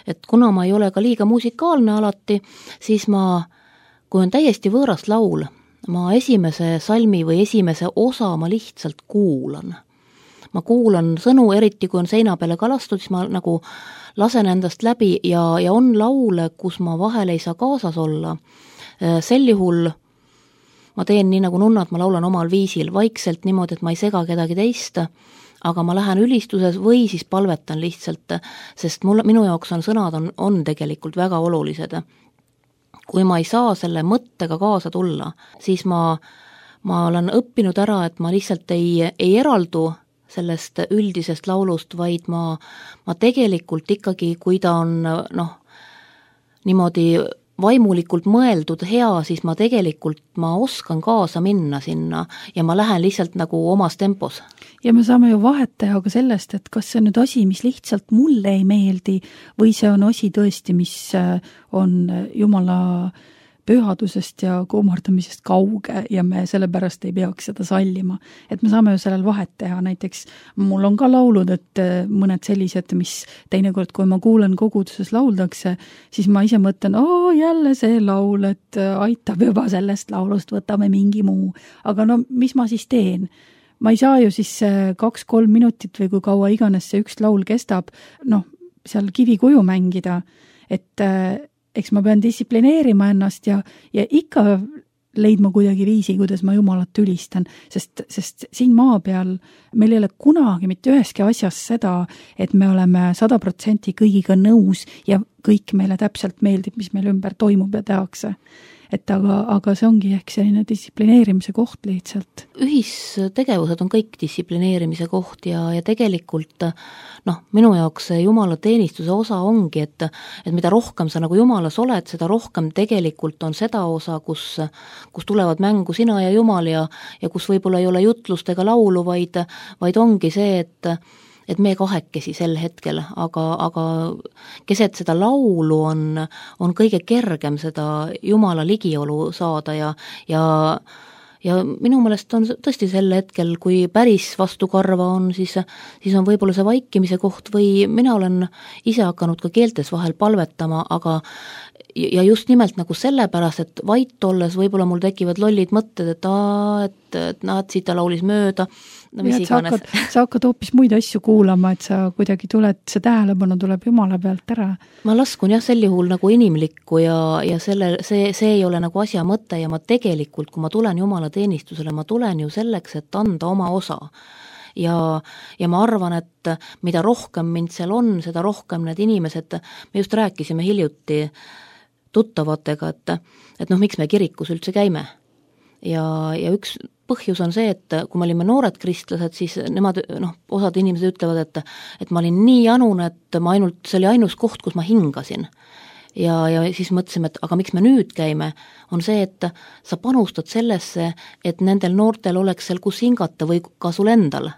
et kuna ma ei ole ka liiga musikaalne alati, siis kui on täiesti võõras laul, ma esimese salmi või esimese osa ma lihtsalt kuulan. Ma kuulan sõnu, eriti kui on seina peale kalastud, siis ma nagu lasen endast läbi ja on laule, kus ma vahel ei saa kaasas olla. Sel juhul ma teen nii nagu nunnad, ma laulan omal viisil, vaikselt niimoodi, et ma ei sega kedagi teist, aga ma lähen ülistuses või siis palvetan lihtsalt, sest minu jaoks sõnad on tegelikult väga olulised. Kui ma ei saa selle mõttega kaasa tulla, siis ma olen õppinud ära, et ma lihtsalt ei eraldu sellest üldisest laulust, vaid ma tegelikult ikkagi, kui ta on niimoodi vaimulikult mõeldud hea, siis ma oskan kaasa minna sinna ja ma lähen lihtsalt nagu omas tempos. Ja me saame ju vahet teha ka sellest, et kas see on nüüd asi, mis lihtsalt mulle ei meeldi või see on asi tõesti, mis on Jumala pühadusest ja kuumardamisest kauge ja me sellepärast ei peaks seda sallima. Et me saame ju sellel vahet teha, näiteks mul on ka laulud, et mõned sellised, mis teinekord, kui ma kuulen koguduses lauldakse, siis ma ise mõtlen, jälle see laul, et aitab juba sellest laulust, võtame mingi muu. Aga mis ma siis teen? Ma ei saa ju siis 2-3 minutit või kui kaua iganes see üks laul kestab, seal kivikuju mängida, et eks ma pean distsiplineerima ennast ja ikka leidma kuidagi viisi, kuidas ma Jumalat ülistan, sest siin maa peal meil ei ole kunagi mitte üheski asjas seda, et me oleme 100% kõigiga nõus ja kõik meile täpselt meeldib, mis meil ümber toimub ja tehakse. et aga see ongi ehk selline distsiplineerimise koht lihtsalt. Ühistegevused on kõik distsiplineerimise koht ja tegelikult minu jaoks see Jumala teenistuse osa ongi, et mida rohkem sa nagu Jumalas oled, seda rohkem tegelikult on seda osa, kus tulevad mängu sina ja Jumal ja kus võib-olla ei ole jutlust ega laulu, vaid ongi see, et me kahekesi sel hetkel, aga keset seda laulu on kõige kergem seda Jumala ligiolu saada ja minu meelest on tõesti sel hetkel, kui päris vastukarva on, siis on võib-olla see vaikimise koht või mina olen ise hakanud ka keeltes vahel palvetama, aga ja just nimelt nagu sellepärast, et vait olles võib-olla mul tekivad lollid mõtted, et siit ta laulis mööda, mis iganes. Sa hakkad hoopis muid asju kuulama, et sa kuidagi see tähelepanu tuleb Jumala pealt ära. Ma laskun sel juhul nagu inimlikku ja see ei ole nagu asja mõte ja ma tegelikult, kui ma tulen Jumala teenistusele, ma tulen ju selleks, et anda oma osa. Ja ma arvan, et mida rohkem mind seal on, seda rohkem need inimesed, me just rääkisime hiljuti tuttavatega, et miks me kirikus üldse käime. Ja üks põhjus on see, et kui me olime noored kristlased, siis nemad, osad inimesed ütlevad, et ma olin nii janune, et see oli ainus koht, kus ma hingasin. Ja siis mõtlesime, et aga miks me nüüd käime, on see, et sa panustad sellesse, et nendel noortel oleks seal kus hingata või ka sul endal.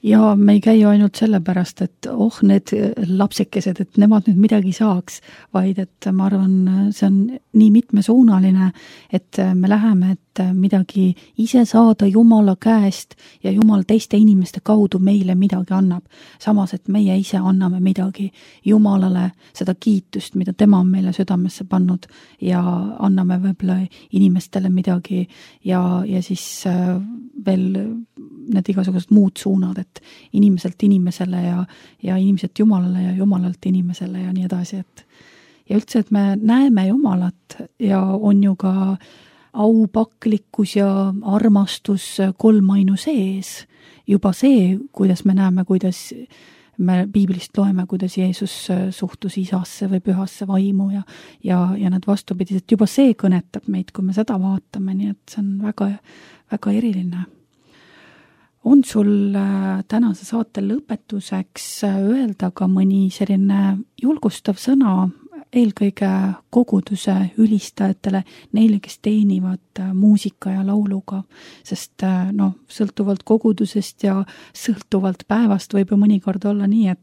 Ja me ei käi ju ainult sellepärast, et need lapsekesed, et nemad nüüd midagi saaks, vaid et ma arvan, see on nii mitmesuunaline, et me läheme, et midagi ise saada Jumala käest ja Jumal teiste inimeste kaudu meile midagi annab. Samas, et meie ise anname midagi Jumalale, seda kiitust, mida tema on meile südamesse pannud ja anname võib-olla inimestele midagi ja siis veel need igasugused muud suunad, et inimeselt inimesele ja inimeselt Jumalale ja Jumalalt inimesele ja nii edasi, ja üldse, et me näeme Jumalat ja on ju ka aupaklikkus ja armastus kolmainu sees. Juba see, kuidas me näeme, kuidas me piiblist loeme, kuidas Jeesus suhtus isasse või pühasse vaimu ja need vastupidised, juba see kõnetab meid, kui me seda vaatame, nii et see on väga, väga eriline. On sul tänase saate lõpetuseks öelda ka mõni selline julgustav sõna eelkõige koguduse ülistajatele, neile, kes teenivad muusika ja lauluga, sest sõltuvalt kogudusest ja sõltuvalt päevast võib ju mõnikord olla nii,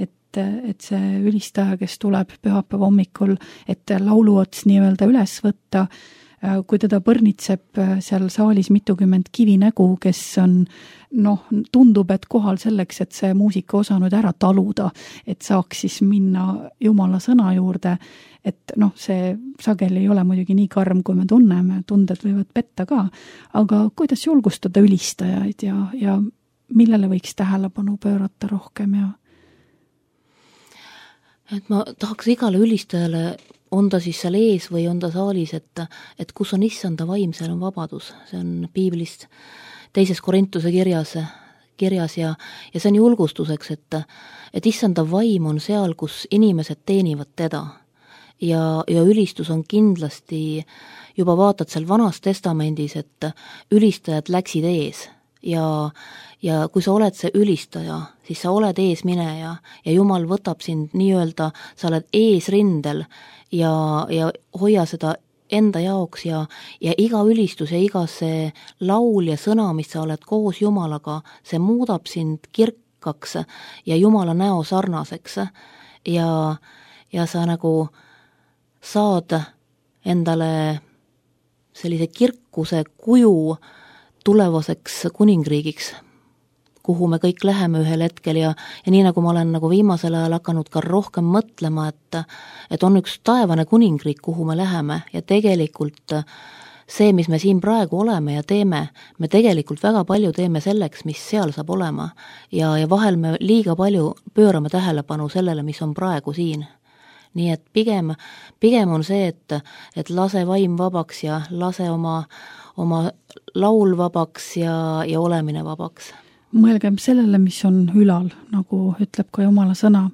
et see ülistaja, kes tuleb pühapäeva hommikul, et lauluots nii-öelda üles võtta, kui teda põrnitseb seal saalis mitukümmend kivinägu, kes on, tundub, et kohal selleks, et see muusika osa nüüd ära taluda, et saaks siis minna Jumala sõna juurde, et see sageli ei ole muidugi nii karm, kui me tunneme, tunded võivad petta ka, aga kuidas julgustada ülistajaid ja millele võiks tähelepanu pöörata rohkem ja? Et ma tahaks igale ülistajale, on ta siis seal ees või on ta saalis, et kus on issanda vaim, seal on vabadus. See on piiblist 2. Korintuse kirjas ja see on julgustuseks, et issanda vaim on seal, kus inimesed teenivad teda. Ja ülistus on kindlasti, juba vaatad seal Vanas Testamendis, et ülistajad läksid ees ja kui sa oled see ülistaja, siis sa oled eesmineja ja Jumal võtab sind nii-öelda, sa oled eesrindel ja hoia seda enda jaoks ja iga ülistus ja iga see laul ja sõna, mis sa oled koos Jumalaga, see muudab sind kirkaks ja Jumala näo sarnaseks ja sa nagu saad endale sellise kirkuse kuju tulevaseks kuningriigiks, kuhu me kõik läheme ühel hetkel ja nii nagu ma olen nagu viimasel ajal hakanud ka rohkem mõtlema, et on üks taevane kuningriik, kuhu me läheme ja tegelikult see, mis me siin praegu oleme ja teeme, me tegelikult väga palju teeme selleks, mis seal saab olema ja vahel me liiga palju pöörame tähelepanu sellele, mis on praegu siin. Nii et pigem on see, et lase vaim vabaks ja lase oma laul vabaks ja olemine vabaks. Mõelgem sellele, mis on ülal, nagu ütleb ka Jumala sõna.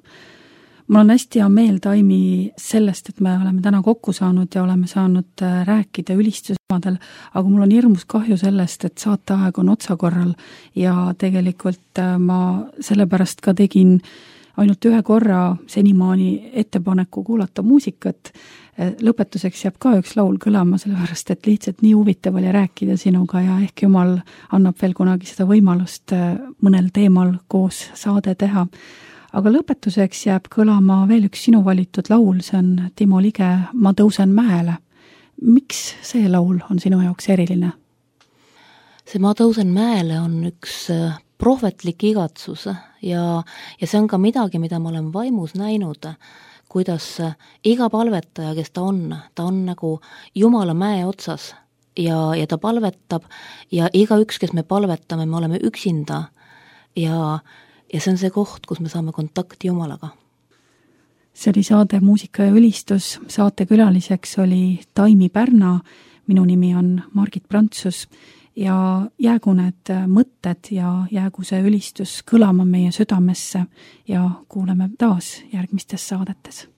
Mul on hästi hea meel, Taimi, sellest, et me oleme täna kokku saanud ja oleme saanud rääkida ülistusteemadel, aga mul on hirmus kahju sellest, et saateaeg on otsakorral ja tegelikult ma sellepärast ka tegin ainult ühe korra senimaani ettepaneku kuulata muusikat. Lõpetuseks jääb ka üks laul kõlama, sellepärast et lihtsalt nii huvitav oli rääkida sinuga ja ehk Jumal annab veel kunagi seda võimalust mõnel teemal koos saade teha. Aga lõpetuseks jääb kõlama veel üks sinu valitud laul, see on Timo Lige Ma tõusen mäele. Miks see laul on sinu jaoks eriline? See Ma tõusen mäele on üks prohvetlik igatsus ja see on ka midagi, mida ma olen vaimus näinud, kuidas iga palvetaja, kes ta on nagu Jumala mäe otsas ja ta palvetab ja igaüks, kes me palvetame, me oleme üksinda ja see on see koht, kus me saame kontakti Jumalaga. See oli saade Muusika ja ülistus. Saate külaliseks oli Taimi Pärna, minu nimi on Margit Prantsus ja jäägu need mõtted ja jäägu see ülistus kõlama meie südamesse ja kuuleme taas järgmistes saadetes.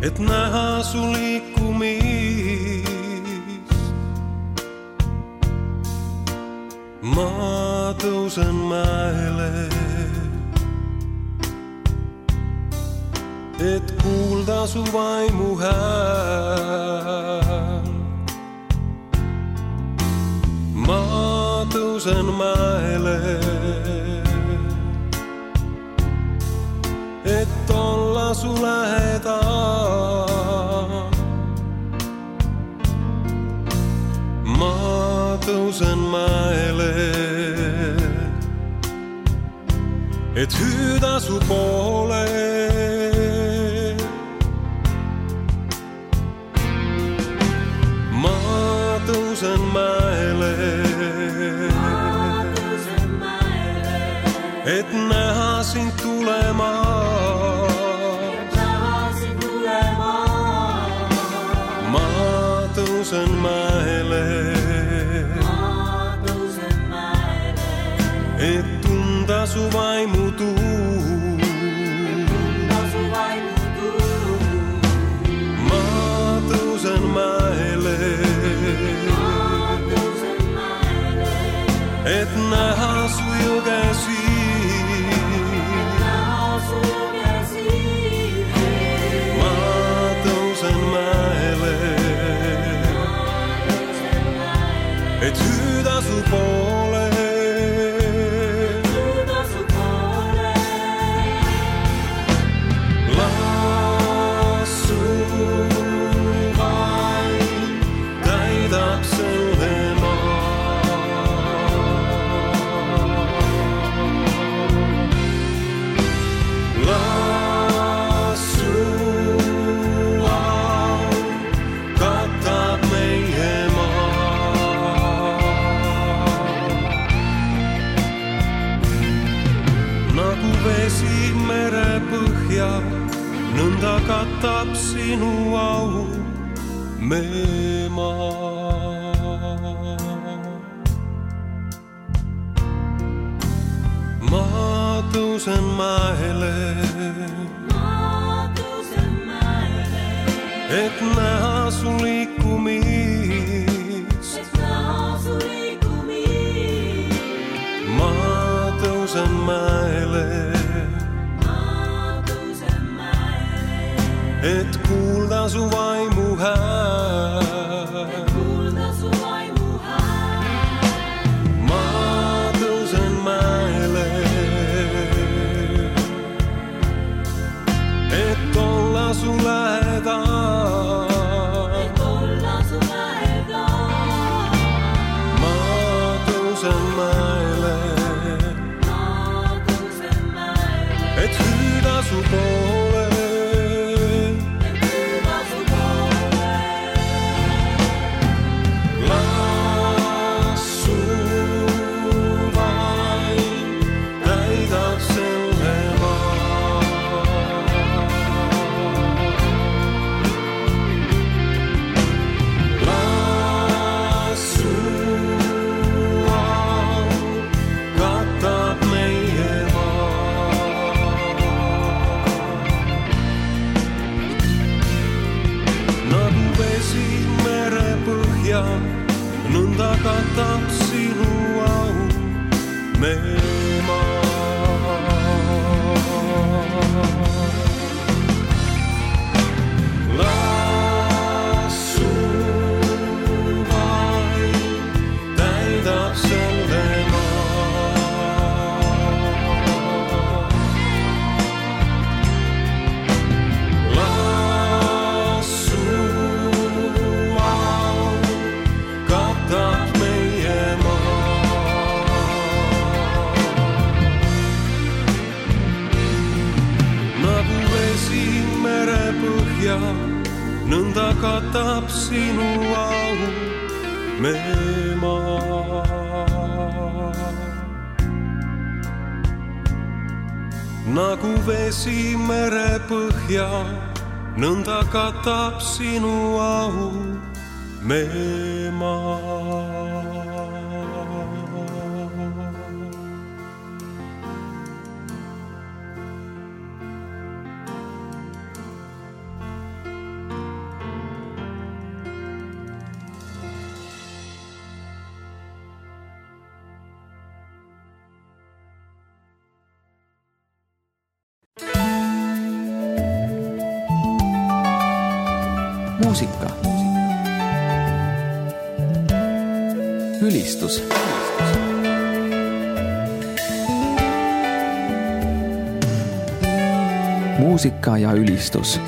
Et näha su liikumist. Ma tõusen mäele, et kuulda su vaimu hääl. Ma tõusen mäele, et olla su lähedal. Ma tõusen mäele, et hüüda su poole. Ma tõusen mäele, et näha sind tulema. Ma tõusen mäele, et tunda su vaimu tuul. Ma tõusen mäele, et näha su jõgesi. Ma tõusen mäele, et hüüda su poole. Las su vaim täidab selle maa. Las su au katab meie maa. Nagu vesi mere põhja, nõnda katab sinu au meie maa. Ma tõusen mäele, et näha su liikumist. Ma tõusen mäele, et kuulda su vaimu hääl. Ma tõusen mäele, et olla su lähedal. Ma tõusen mäele, et hüüda su poole. põhja, nõnda katab sinu au meie maa. Las sul vaid täidab selle maa. Las sul au katab meie maa. Nagu vesi mere põhja, nõnda katab sinu au meie maa. Nagu vesi mere põhja, nõnda katab sinu au meie maa. Muusika. Ülistus. Muusika ja ülistus.